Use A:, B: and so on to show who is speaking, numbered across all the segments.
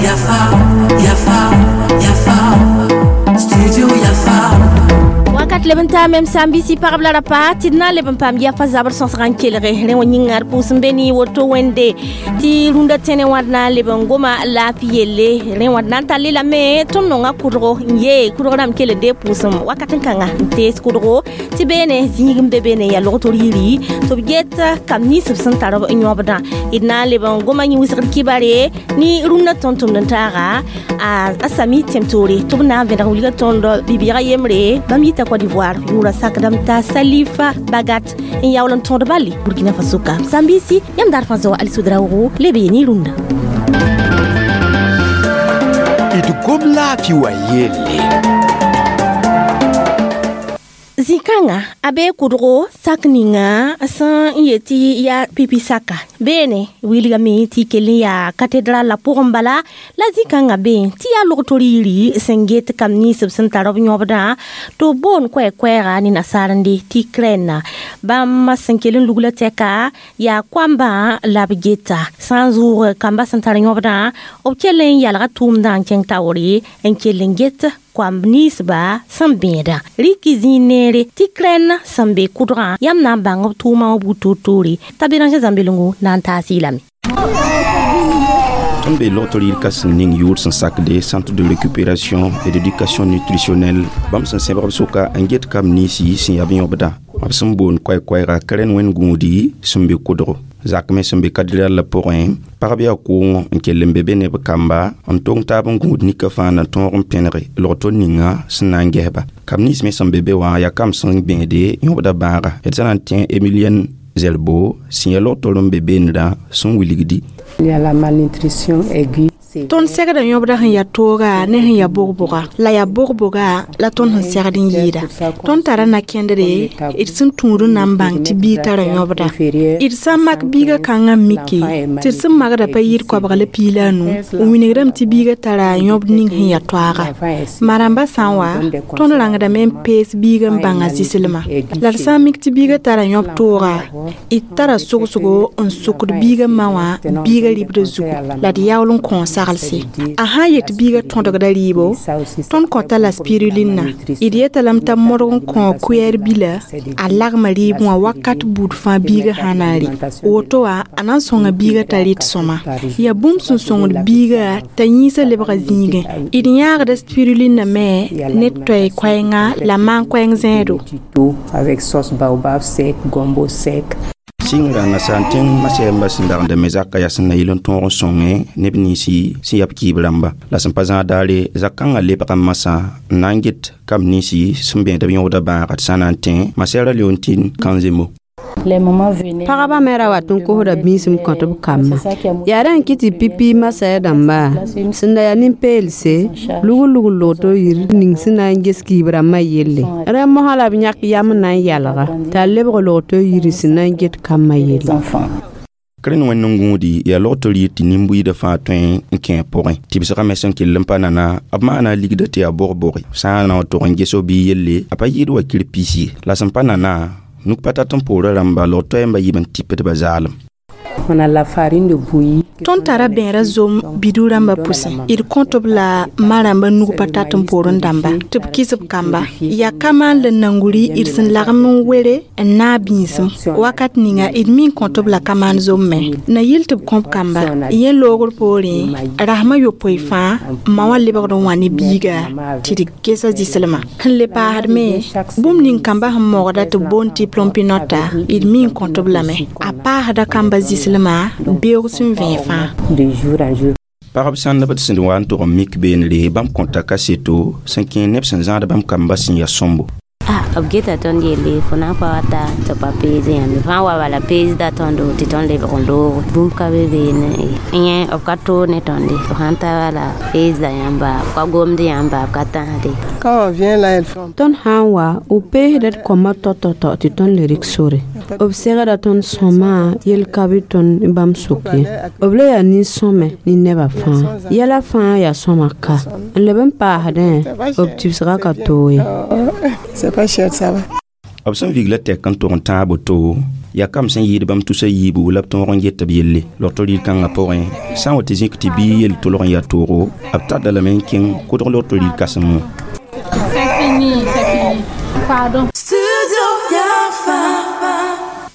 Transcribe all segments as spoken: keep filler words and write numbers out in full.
A: Yafa, Yafa, Yafa, Studio Yafa.
B: Wakat leb n taa mem sã n bisi pagb la rapa tɩ d na n leb n paam yafa zabr sõsg n kelge rẽ wã yĩnga d pʋʋs n be ne woto wẽnde tɩ rũndã tẽne wã d na n leb n goma laafɩ yelle rẽ wã d na n tall lame tõnd nonga kʋdgo n yee kʋdg rãmb kell n dee pʋʋsem wakat n kãnga n tees kʋdgo tɩ beene zĩig n be beene yaa logtr yiri tɩ b get kam nins b sẽn tar b n yõbdã d na n leb n goma yẽ wɩsgd kibare ne rũndã tõnd-tʋmd n taaga a sami tẽm-toore tɩ b na n vẽneg wilga tõnd bi-bɩɩga yembre bãmb yita Côte d'Ivoire yʋʋra sakdame t'a Salifa Bagat n yaool n tõd bali Burkina Faso ka sãn-biisi yãmb daar fãa zoa Ali Sodraogo leb ye ne rũndã.
C: D gom laafɩ wa yelle.
B: Zĩ-kãngã a bee kʋdgo sak ninga sẽn n yet tɩ yaa pipi saka beene wilgame tɩ kell n yaa katedral la pʋgẽ bala la zĩ-kãngã bee tɩ yaa logtr yiri sẽn get kam nins b sẽn tar b yõbdã tɩ b boond koɛɛ-koɛɛga ne nasaarende tɩ krɛnna bãmb sẽn kell n lugla tɛka yaa koambã la b geta sã n zʋʋg kamba sẽn tar yõbdã b kell n yalga tʋʋmdã n kẽng taoore n kell n get koamb ninsba sẽn bẽedã rɩk zĩig neere tɩ krɛn sẽn be kʋdgã yãmb na n bãng b tʋʋmã wã buud toor-toore t'a Béranger Zãmbelongo na n taas lame.
D: Tõnd be logtr yir ka-sẽn ning yʋʋr sẽn sakde Centre de récupération et d'éducation nutritionnelle bãmb sẽn sẽbg b sʋka n get kam ninsi sẽn yaa b yõbdã b sẽn boond koɛɛ-koɛɛga krɛn wẽnd gũudi sẽn be kʋdgo zak me sẽn be kadral la pʋgẽ pagb yaa kʋʋngõ n kell n be be ne b kamba n tong taab n gũud nika fãa na tõog n pẽnege logto ninga sẽn na n gesba kam nins me sẽn be be wã yaa kam sẽn bẽede yõbda bãaga d sã na n tẽ Emilienne Zerbo sẽn yaa logtr n be beendã sẽn wilgdi.
E: Il y a la malnutrition aiguë.
F: Tõnd segda yõbda sẽn yaa tooga ne sẽn yaa bog-boga la yaa bog-boga la tõnd sẽn segd n yɩɩda tõnd tara na-kẽndre d sẽn tũud n na n bãng tɩ biig tara yõbda d sã n mak biigã kãngã n mike tɩ d sẽn magda pa yɩɩd koabg la piig la a nu n wilgdame tɩ biigã tara yõbd ning sẽn yaa toaaga ma-rãmbã sã n wa tõnd rãngdame n pees biigã n bãnga zɩslmã la d sã n mik tɩ biigã tara yõb tooga d tara sogsgo n sʋkd biigã ma wã biigã ribdã zugu la d yaool n kõo saglse a sã n yet biigã tõdgda rɩɩbo tõnd kõta la spirulinna d yeta lame t'a modg n kõ kʋɛɛr bila a lagma rɩɩb wã wakat buud fãa biigã sã na n rɩ woto wã a na n sõnga biigã t'a rɩt sõma yaa bũmb sẽn sõngd biigã t'a yĩnsã lebga zĩigẽ d yãagda spirulinna me ne toɛ koɛɛnga la maan-koɛɛng zẽedo.
E: Avec sauce baobab sec, gombo sec.
D: Sɩngra nasaar tẽng masɛɛmba sẽn dagenda me zakã yaa sẽn na yɩl n tõog n sõnge neb ninsi sẽn yaa b kɩɩb rãmba la sẽn pa zãag daare zak-kãngã lebga masã n na n get kam ninsi sẽn bẽed b yõbda bãaga tɩ sã na n tẽ masɛɛra Leontine Kãnzemo.
G: Pagba me ra wat n kosda bĩisem kõt b kambã yaa rẽ n kɩ tɩ pipi masɛɛ dãmba sẽn da yaa nin-peelse lugl-lugl logto yir ning sẽn na n ges kiib rãmbã yelle rẽ mosã la b yãk yam n na n yalga t'a lebg logto yiri sẽn na n get kambã yelle.
D: Krẽn wẽnd n gũudi yaa logtr yir tɩ nin-buiidã fãa tõe n kẽ a pʋgẽ tɩbsgã me sẽn kell n pa nana b maana a ligda tɩ yaa bog-boge sã n na n tog n ges b biig yelle a pa yɩɩd wakir pis ye la sẽn pa nana nuk pa tat n poorã rãmba log toɛɛmbã yib n tɩpdba zaalem.
E: On a la farine de bouillie.
F: Tõnd tara bẽera zom bidu rãmbã pʋsẽ d kõt b la ma-rãmbã nug pa tat n poorẽ dãmba tɩ b kɩs b kamba yaa kamaan la nanguri d sẽn lagem n were n naag bĩisem wakat ninga d mi n kõt b la kamaan zom me na yɩl tɩ b kõ b kamba yẽ loogr poorẽ rasmã yopoe fãa ma wã lebgd n wã ne biiga tɩ d gesa zɩslmã sẽn le paasd me bũmb ning kamba sẽn mogda tɩ b boond tɩ plompinota d mi n kõt b lame a paasda kamba zɩslmã beoog sẽn vẽe fãa.
E: De jour en jour.
D: Pagb sãndb d sẽn wa n tog n mik beenre bãmb kõta kaseto sẽn kẽ neb sẽn zãad bãmb kamba sẽn yaa sõmbo.
H: Ah, b geta tõnd yelle fo na n pa wata tɩ pa pees yãmb fãa wa bala peesda tõndo tɩ tõnd lebg n loog bũmb ka be beene yẽ b ka toog ne tõnde b sãn ta bala peesda yãmba b ka gomd yãmba b ka tãsde.
I: Quand on vient là, elles font.
G: Tõnd sã n wa b peesda d kõma tao-tao tɩ tõnd le rɩk sore b segda tõnd sõma yel ka be tõnd bãmb sʋk ye b la yaa nin-sõme ne nebã fãa yɛla fãa yaa sõma ka n leb n paasdẽ b tibsgã ka toog ye.
I: C'est pas cher, ça va.
D: B sẽn vigla tɛk n tog n tãag boto Yaa kam sẽn yɩɩd bãmb tusa yiibu la b tõog n get b yelle. Logto rɩɩd kãngã pʋgẽ, sã n wa tɩ zĩk tɩ bii yel tolg n yaa toogo, b tadda lame n kẽng kʋdg logto rɩɩd kãsem wã.
I: C'est fini, c'est fini. Pardon.
A: Studio Yafa.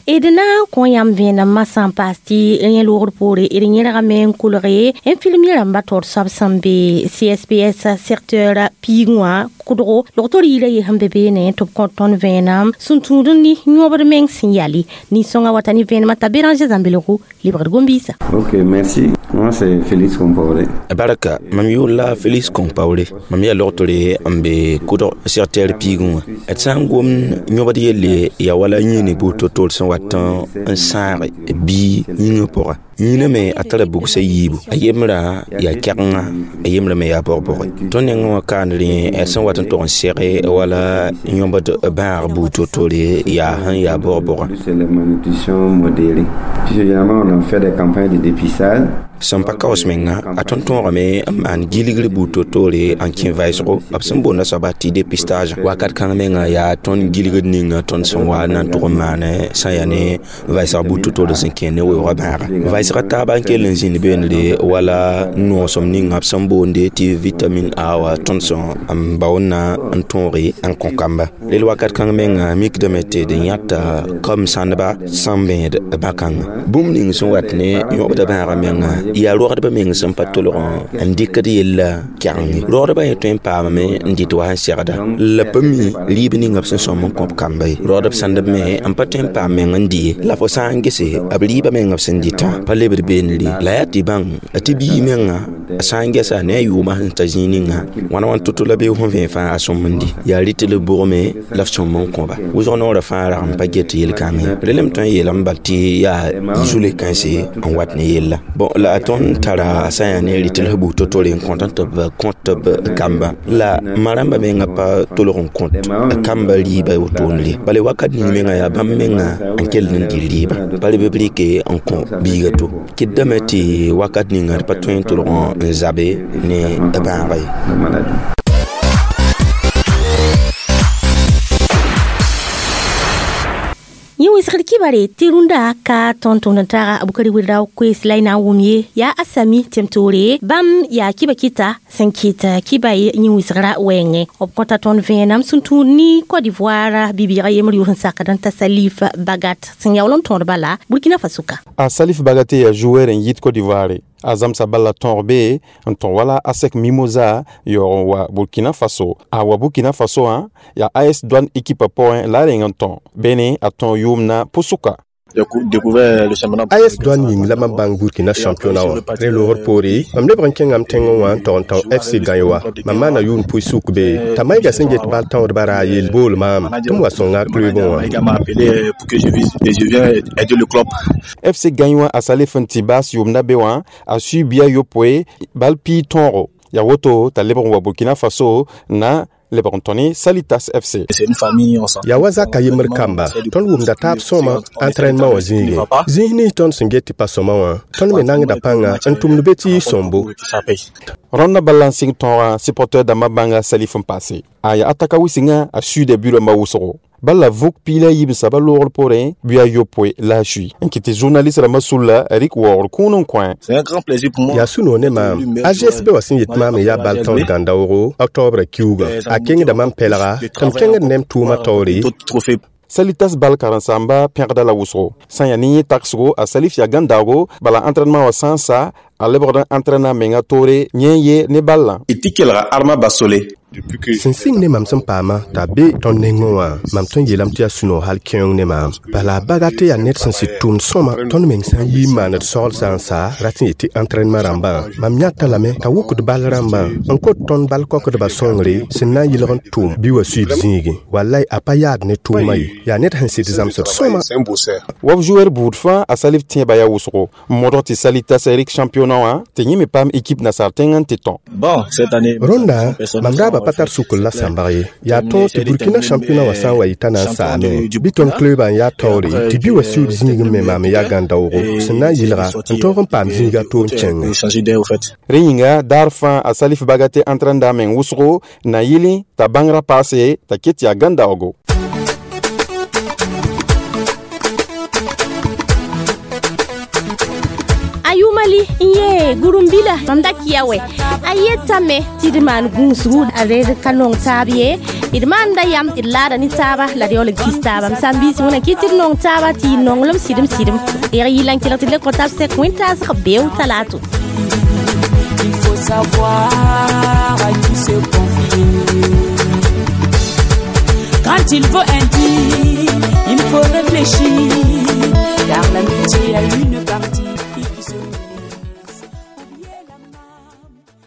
B: D na n kõ yãmb vẽenem masã n paas tɩ yẽ loogr poore d yẽrgame n kolge n film rãmba taoor soab sẽn be C S P S secteur piig wã kʋdgo logto riira ye sẽn be beene tɩ b kõ tõnd vẽenem sẽn tũud n ne yõbd meng sẽn yale. Nin-sõngã wata ne vẽenemã t'a Béranger Zãmbelgo lebgd gom-biisã.
J: Ok, merci. Moi, c'est Félix Compaoré.
D: Barka, mam yʋʋr la Félix Compaoré. Mam yaa logtore n be kʋdg secteur piigẽ wã. D sã n gom yõbd yelle, yaa wala yĩene buud to-toor sẽn wat n sãag bii yĩngã pʋga. Yĩnã me a tara bugsa yiibu, a yembrã yaa kɛgenga, a yembrã me yaa bog-boge. Tõnd nengẽ wã kaand rẽ d sẽn wat n tog n sɛge wala yõbd bãag buud to-toore yaa sẽn yaa bog-bogã.
J: C'est la malnutrition modérée. Puis généralement, on a fait des campagnes de dépistage.
D: Sẽn pa kaoos menga, a tõnd tõogame n maan gilgr buud to-toore n kẽ vɩsgo b sẽn boonda soaba tɩ dépistage. Wakat kãng menga yaa tõnd gilgd ninga tõnd sẽn wa na n tʋg n maane sã n yaa ne vɩsg buud to-toore sẽn kẽ ne weoogã bãaga. Vɩsgã taaba n kell n zĩnd beendre wala noosem ninga b sẽn boonde tɩ vitamine A wa tõnd sẽn n baoodna n tõoge n kõ kamba. Rel wakat kãng menga mikdame tɩ d yãta kam sãndba sẽn bẽed bã-kãnga. Bũmb ning sẽn wat ne yõbda bãagã menga yaa rogdbã meng sẽn pa tolg n dɩkd yella kɛgenge. Rogdbã yẽ tõe n paamame n dɩt wa sẽn segda la pa mi rɩɩb ninga b sẽn sõm n kõp kamba ye. Rogdb sãndb me n pa tõe n paam meng n dɩ ye, la fo sã n gese b rɩɩbã meng b sẽn dɩtã pa lebd beendre. La yaa tɩ bãng tɩ bii menga a sã n gesa ne a yʋʋmã sẽn ta zĩig ninga wãna wãn to-to la bee fõ vẽe fãa a sõm n dɩ yaa rɩt la bʋgme la f sõm n kõba. Wʋsg noorã fãa rag n pa get yel-kãng ye. Relem tõe n yeelame bal tɩ yaa zule kãense n wat ne yella. Bon, la tõnd tara sã n yaa ne rɩt la buud to-toore n kõt tɩ b kõt b kamba, la ma rãmbã menga pa tolg n kõt kamba rɩɩbã wotone. Bala wakat ning menga yaa bãmb menga n kell n dɩ rɩɩbã, pa leb b rɩke n kõ biiga to kɩtdame tɩ wakat ninga d pa tõe n tolg n zabe ne bãaga ye.
B: Yẽ wɩsgd kibare tɩ rũndã ka tõnd tʋmd n taaga Abukari Wɩrao koees la y na n wʋm ye yaa a sami tẽm-toore bãmb yaa kiba kɩta sẽn kɩt kiba yẽ wɩsgrã wɛɛngẽ. B kõta tõnd vẽenam sẽn tũud ne Côte d'Ivoire bi-bɩɩgã yembr yʋʋr sẽn sakd n ta Salif Bagat sẽn yaool n tõod bala Burkina Faso ka.
K: A Salif Bagate yaa joueur n yit Côte d'Ivoire. A zãmsa bala tõog be n tõ wala ASEC Mimosa yaoog n wa Burkina Faso. A wa Burkina Faso wã yaa A S Douane équipe pʋgẽ la a reng n tõ bene a tõog yʋʋmdã pʋsʋka.
L: A S Douane yĩng la mam bãng Burkina championnat wã. Rẽ loogr poore, mam lebg n kẽngame tẽngẽ wã n tog n tão F C Gagnoa. Mam maana yʋʋm pʋɩ-sʋk be t'a maɩga sẽn get bal tãoodbã ra a yel bool maam tɩ m wa sõnga clubẽ wã.
K: F C Gagnoa a Salif n tɩ baas yʋʋmdã be wã, a sui bia yopoe bal piig tõogo. Yaa woto t'a lebg n wa Burkina Faso na lebg n tõ ne Salitas F C.
L: Yaa wa zaka yembr kamba, tõnd wʋmda taab sõma entraînement wã zĩigẽ. Zĩis nins tõnd sẽn get tɩ pa sõma wã, tõnd me nangda pãnga n tʋmd be tɩ yɩ sõmbo.
K: Rõndã bala n sɩng tõogã supporteur dãmbã bãnga Salif n paase. A yaa ataka wɩsengã a suuda bu-rãmbã wʋsgo. Bala vʋk piig la a yiib saba loogr poorẽ bɩ a yopoe la a sui n kɩt tɩ journaliste rãmbã sulla rɩk waoogr kũun n kõ.
L: Yaa sũ-noog ne maam. A G S B wã sẽn yet maam n yaa bal tõod gãndaoogo octobre kiuugã, a kẽngda mam pɛlga tɩ m kẽngd ne m tʋʋmã taoore.
K: Salitas bal karen-saamba pẽgda la wʋsgo. Sã n yaa ne yẽ tagsgo, a Salif yaa gãndaoogo, bala entraînement wã sã n sa, a lebgd n entraîna menga toore yẽ ye ne ballã.
M: Tɩ kelga Arma Basole.
L: Sẽn sɩng ne mam sẽn paama t'a be tõnd nengẽ wã, mam tõe n yeelame tɩ yaa sũ-noog hal kẽoong ne maam. Bala a Bagate yaa ned sẽn sɩd tʋʋmd sõma. Tõnd meng sã n yi n maand d soagl sã n sa rat n yet tɩ entraînement rãmbã, mam yãta lame t'a wʋkd bal rãmbã n kot tõnd bal kokdbã sõngre sẽn na n yɩlg n tʋʋm bɩ wa suiib zĩigẽ. Walay, a pa yaad ne tʋʋmã ye, yaa ned sẽn sɩd zãmsd sõma.
K: Wa b joueur buud fãa a Salif tẽebã yaa wʋsgo n modg tɩ Salitas rɩk championnat wã tɩ yẽ me paam équipe nasaar tẽng n tɩ tõ.
L: Rõnda mam raaba pa tar sukr la sãmbg ye. Yaa tõog tɩ Burkina championnat wã sã n wa yɩta na n saame bɩ tõnd clubã n yaa taoore tɩ bɩ wa siuud zĩigẽ me maam n yaa gãndaoogo sẽn na n yɩlga n tõog n paam zĩiga to n kẽngẽ.
K: Rẽ yĩnga daar fãa a Salif Bagate entraînda meng wʋsgo na yɩlẽ t'a bãngrã paase t'a ket yaa gãndaoogo.
B: Mali n ye gurumbila mam da kia wɛ a yetame tɩ d maan gũusgu a red ka nong taab ye d maanda yam d laada ne taaba la d yaool n kis taaba m sãn-biis wẽna kɩ tɩ d nong taaba tɩ y nonglem sɩdem sɩdem reg yɩla n kelg tɩ d le kõ tab sɛk wẽn-taasg beo talato.
A: Il faut savoir à qui se confier. Quand il faut un dire, il faut réfléchir, car l'amitié a une partie.